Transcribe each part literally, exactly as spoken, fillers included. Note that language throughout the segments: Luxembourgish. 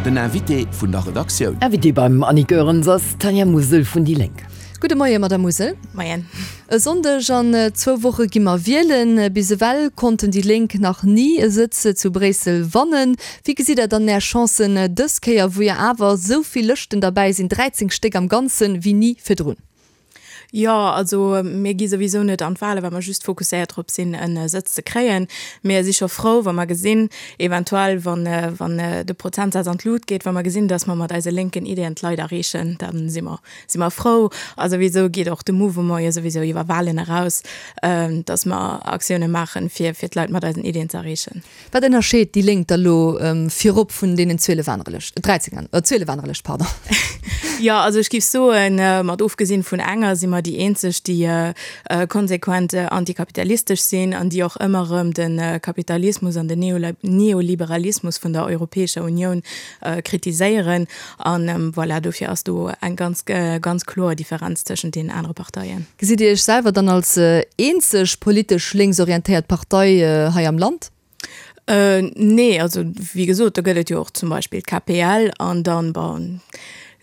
Den Invité vun der Redaktioun. Invitée beim Annie Goerens ass d'Tanja Musel vun déi Lénk. Gudde Moie Madame Musel. Moien. E Sonndeg an zwou Woche gi mer wielen. Bis ewell konnten déi Lénk nach ni e Sëtz zu Bréissel wannen. Wéi gesitt Der dann Är Chancen dës Kéier, wou jo awer esou vill Lëschten derbäi sinn, dräizéng Stéck am Ganzen, wéi ni virdrun? Jo, also mir gi souwisou net an d'Wale well mer just fokusséiert drop sinn e Sëtz ze kréien. Mir si scho frou wa mer gesinn, eventuell wann wann de Prozentsaz an d'Lut geet, wa mer gesinn, datt mer mat eise lénken Ideeën d'Leit erreechen, da si mer si mer frou. A souwisou geet och de Mouvement jo souwisou iwwer Walen eraus, datt mer Aktioune maachen, fir fir d'Leit mat eisen Ideeën ze erreechen. Wat ënnerscheet déi Lénk da lo virop vun deenen zwielef anere Lëschten, dräizéng an, zwielef anere Lëscht, pardon? Jo, also ech géif soen, mat ofgesinn vun enger, si mer déi eenzeg, déi konsequent antikapitalistesch sinn an déi och ëmmer erëm de Kapitalismus an den Neoliberalismus vun der Europäescher Unioun kritiséieren. An voilà, dofir ass do eng ganz, ganz kloer Differenz tëschent deenen anere Parteien. Gesitt Dir Iech selwer dann als eenzeg politesch lénksorientéiert Partei hei am Land? Nee, also wéi gesot, do gëtt et jo och zum Beispill d'K P L an dann, bon,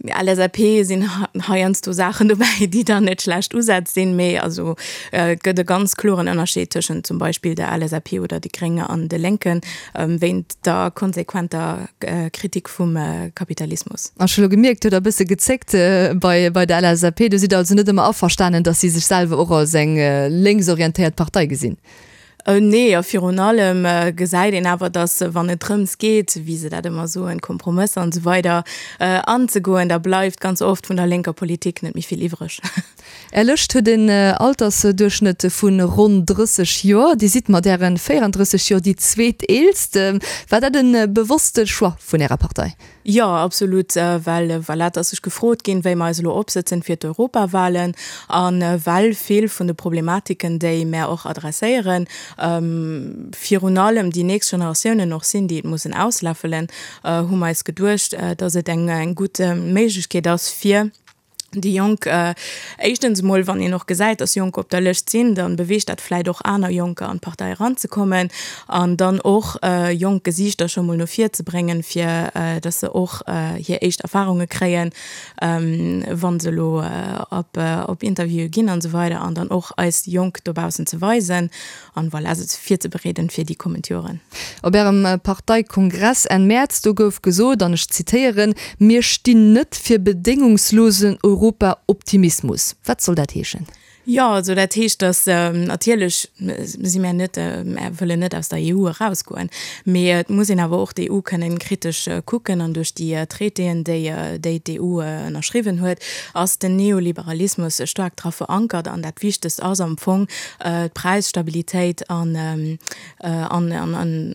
L S A P sinn heiansdo Saachen dobäi, déi dann net schlecht Usätz sinn, mee also et gëtt e ganz kloren Ënnerscheed tëschent zum Beispill der L S A P oder de Grénge an de Lénken wéint der konsequenter Kritik vum Kapitalismus. Ech hu lo gemierkt, huet der e bësse gezéckt bei bei der L S A P. Do sidd der also net ëmmer averstanen, datt si sech selwer och als eng lénksorientéiert Partei gesinn? Nee, a virun allem gesäit een awer, datt wann et drëms geet, wéi se dat ëmmer soen, Kompromësser an esou weider anzegoen, da bleift ganz oft vun der lénker Politik net méi vill iwwreg. Är Lëscht huet en Altersduerchschnëtt vu ronn drësseg Joer. Dir sidd mat Ären véierandrësseg Joer déi zweeteelst. War dat e bewosste Choix vun Ärer Partei? Jo, absolut, well voilà, et ass sech gefrot ginn, wéi mer eis elo opsëtzen fir d'Europawahlen a well vill vun de Problematiken, déi mär och adresséieren, virun allem déi nächst Generatiounen och sinn, déi et mussen ausläffelen, hu mer eis geduecht, dass et eng gutt Méiglechkeet ass, fir déi Jonk, éischtens emol, wann een och gesäit, dass Jonker op der Lëscht sinn, da beweegt dat vläicht och aner Jonker an d'Partei eranzekommen an dann och jonk Gesiichter scho mol no vir ze bréngen, fir dass se och hir éischt Erfarunge kréien, wa se elo op Interviewe ginn an esou weider an dann och eis Jonk dobaussen ze weisen an voilà, se virzebereeden fir déi kommend Joren. Op Ärem Parteikongress Enn Mäerz, do gouf gesot, an ech zitéieren, Mir stinn net fir bedéngungslosen Europa-Optimismus. Wat soll dat heeschen? Jo, also dat heescht, datt natierlech si mär net, mär wëllen net aus der E U erausgoen, mee et muss een awer och d'E U kënnen kritesch kucken an duerch déi Traitéen, déi déi d'E U ënnerschriwwen huet, ass den Neoliberalismus staark dra verankert an dat Wichtegst ass am Fong d'Präisstabilitéit an an an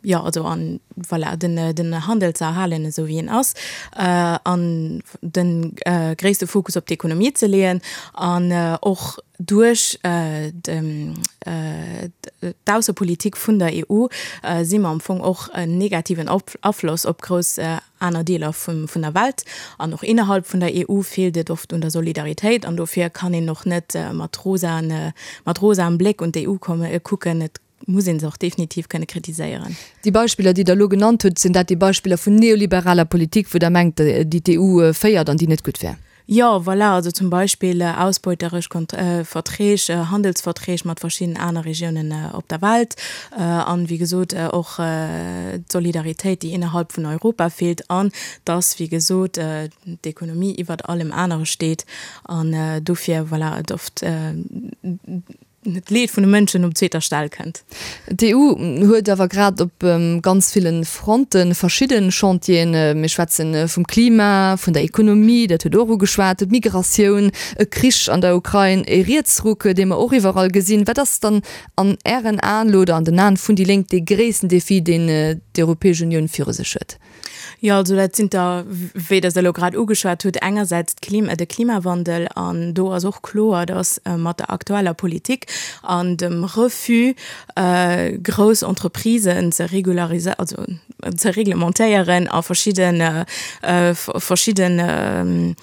jo also an voilà den den Handel ze erhalen esou wéi en ass an de gréisste Fokus op d'Ekonomie ze leeën an och duerch d'Aussepolitik vun der E U si mer am Fong och en negativen Afloss op grouss aner Deeler vun der Welt an och innerhalb vun der E U feelt et oft un der Solidaritéit an dofir kann een och net mat rosaen mat rosaem Bléck un d'E U komme kucken. Et muss een se och definitiv kënne kritiséieren. Déi Beispiller, déi Der elo genannt hutt, sinn dat déi Beispiller vun neoliberaler Politik, wou Der mengt, déi d'E U féiert an déi net gutt wär? Jo, voilà, also zum Beispill ausbeuteresch Verträg, Handelsverträg mat verschiddenen aner Regiounen op der Welt an, wéi gesot, och d'Solidaritéit, déi innerhalb vun Europa feelt an dass, wéi gesot, d'Ekonomie iwwert allem anere steet an dofir, voilà, et oft d'Leed vun de Mënschen op zweeter Stell kënnt. D'E U huet awer grad op ganz ville Fronte verschidde Chantieren. Mir schwätze vum Klima, vun der Ekonomie, dat hutt Der och ugeschwat, d'Migratioun, e Krich an der Ukrain, e Rietsruck, dee mer och iwwerall gesinn. Wat ass dann an Ären Aen elo oder an den Aen vun déi Lénk dee gréissten Defi, deen d'Europäesch Unioun viru sech huet? Jo, also dat sinn der, wéi Der se elo grad ugeschwat hutt, engersäits d'Klima, de Klimawandel. An do ass och kloer, dass mat der aktueller Politik an dem Refus, grouss Entreprisen ze regulariséieren, also ze reglementéieren a verschidden verschidden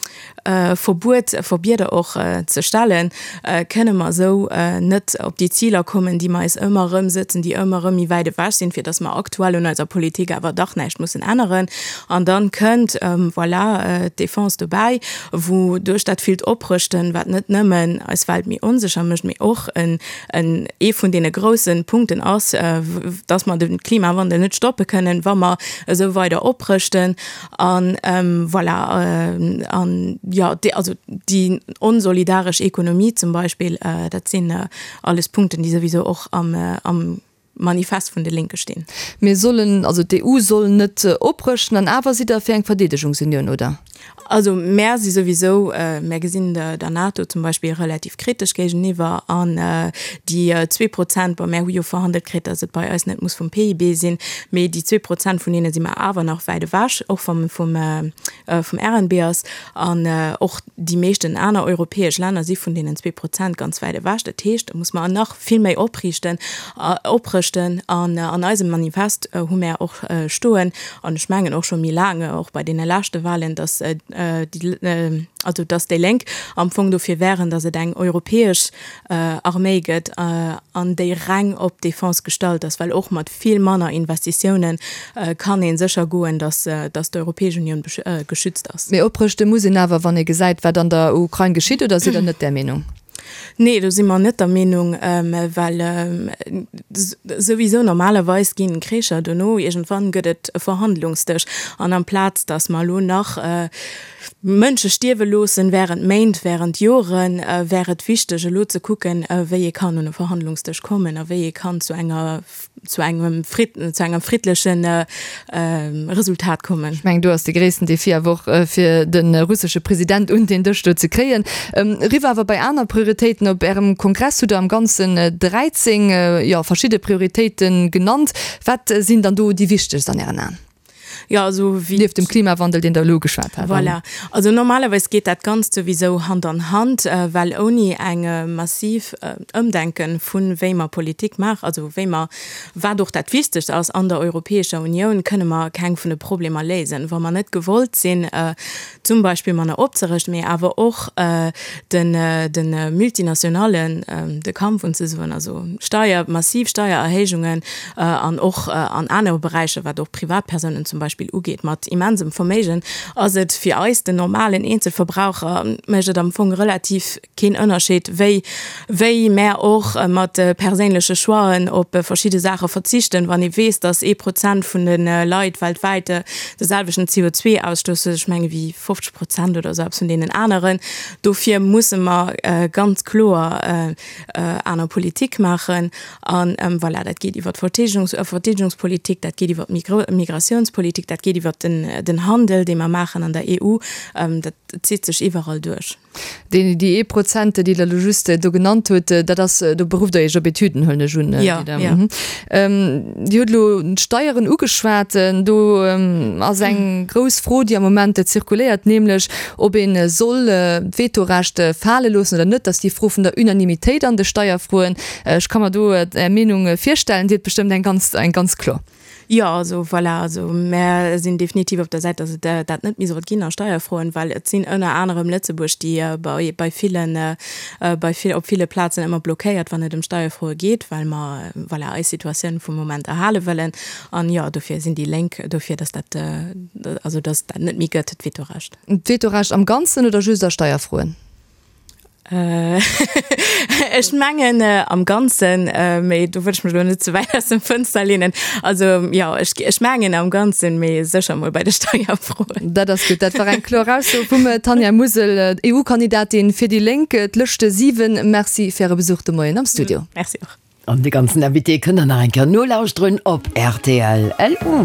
Verbuet Verbieder och ze stellen, kënne mer esou net op déi Ziler kommen, déi mer eis ëmmer erëm sëtzen, déi ëmmer erëm méi wäit ewech sinn, fir datt mer aktuell un eiser Politik awer dach näischt mussen änneren. An dann kënnt, voilà, d'Defense dobäi, wou duerch dat villt Oprëschten, wat net nëmmen eis Welt méi onsécher mécht, mee och en ee vun deene groussen Punkten ass, datt mer de Klimawandel net stoppe kënnen, wa mer esou weider oprëschten. An voilà, an jo, déi, also déi onsolidaresch Ekonomie zum Beispill, dat sinn alles Punkten, déi souwisou och am, am Manifest vun de Lénke stinn. Mir sollen, also d'EU soll net oprëschten, an awer sidd Der fir eng Verdeedegungsunioun, oder? Also mär si souwisou, mär gesinn der NATO zum Beispill relativ kritesch géigeniwwer an déi zwee Prozent, bon mär hu jo verhandelt kritt, datt et bei eis net muss vum PIB sinn, mee déi zwee Prozent vun deene si mer awer nach wäit ewech, och vum vum RNB ass. An och déi meeschten aner europäesch Länner si vun deenen zwee Prozent ganz wäit ewech. Dat heescht, do muss mer nach vill méi opriichten, oprëschten. An an eisem Manifest hu mär och stoen, an ech mengen och scho méi laang, och bei deene leschte Wahlen, datt déi, also datt déi Lénk am Fong dofir wären, datt et eng europäesch Arméi gëtt an déi reng op d'Defense gestallt ass, well och mat vill manner Investitiounen kann ee sécher goen, datt datt d'Europäesch Unioun geschützt ass. Mee oprëschte muss een awer, wann ee gesäit, wat an der Ukrain geschitt, oder sidd Der net där Meenung? Nee, do si mer net der Meenung, well souwisou normalerweis ginn Kricher dono, iergendwann gëtt et e Verhandlungsdësch. An amplaz datt mer elo nach Mënsche stierwe loossen während Méint, während Joren, wär et wichteg elo ze kucken, wéi ee kann un e Verhandlungsdësch kommen a wéi ee kann zu enger zu engem zu engem friddlechen Resultat kommen. Ech mengen, do ass de gréissten Defi awer och, fir de russesche President un deen Dësch do ze kréien. Eriwwer awer bei aner Prioritéiten. Op Ärem Kongress hutt Der am Ganzen dräizéng, jo, verschidde Prioritéite genannt. Wat sinn dann do déi wichtegst an Ären Aen? Jo, also wéi. Nieft dem Klimawandel, deen Der elo ugeschwat hat. Voilà. Also normalerweis geet dat Ganzt souwisou Hand an Hand, well ouni eng massiv Ëmdenke vu wéi mer Politik maachen, also wéi mer, wat och dat Wichtegst ass an der Europäescher Unioun, kënne mer keng vun de Problemer léisen. Wa mer net gewollt sinn, zum Beispill manner opzerëschten, mee awer och de Multinationallen de Kampf unzesoen, also Steier, massiv Steiererhéijungen an och an anere Beräicher, wat och Privatpersounen zum Beispill ugeet, mat immensem Verméigen, ass et fir eis, den normalen Eenzelverbraucher, mécht et am Fong relativ keen Ënnerscheed, wéi wéi mär och mat perséinleche Choixen op verschidde Saache verzichten, wann ee weess, datt ee Prozent vun de Leit weltwäit de selwechten C O zwei Ausstoss huet, ech menge wéi fofzeg Prozent oder esou eppes vun deenen aneren. Dofir musse mer ganz kloer aner Politik maachen. An voilà, dat geet iwwer d'Verteedegungspolitik, dat geet iwwer d'Migratiounspolitik, dat geet iwwer den Handel, dee mer maachen an der E U. Dat zitt sech iwwerall duerch. Déi ee Prozent, déi Der elo just do genannt hutt, dat ass, do berufft Der Iech op Etüden, huelen ech un. Jo, jo. Dir hutt elo d'Steieren ugeschwat. Do ass eng grouss Fro, déi am Moment zirkuléiert, nämlech ob ee soll d'Vetorecht fale loossen oder net. Dat ass déi Fro vun der Unanimitéit an de Steierfroen. Ech ka mer do Är Meenung virstellen. Dir hutt bestëmmt eng ganz, eng ganz kloer. Jo, also voilà, also mär sinn definitiv op der Säit, datt et dat net méi sollt ginn a Steierfroen, well et sinn ënner anerem Lëtzebuerg, déi bei, bei villen, bei vill, op ville Plazen ëmmer blockéiert, wann et ëm Steierfroe geet, well mer, voilà, eis Situatioun vum Moment erhale wëllen. An jo, dofir sinn déi Lénk dofir, datt dat, also datt dat net méi gëtt, d'Vetorecht. D'Vetorecht am Ganzen oder just a Steierfroen? Ech mengen am Ganzen, mee do wëll ech mech elo net ze wäit aus dem Fënster leenen. Also jo, ech, ech mengen am Ganzen, mee sécher mol bei de Steierfroen. Dat ass gutt. Dat war eng kloer Ausso vum Tanja Musel, E U-Kandidatin fir déi Lénk, d'Lëschte siwen. Merci fir Äre Besuch de Moien am Studio. Merci och. An de ganzen Invité kënnt der nach eng Kéier nolauschteren op rtl. L U.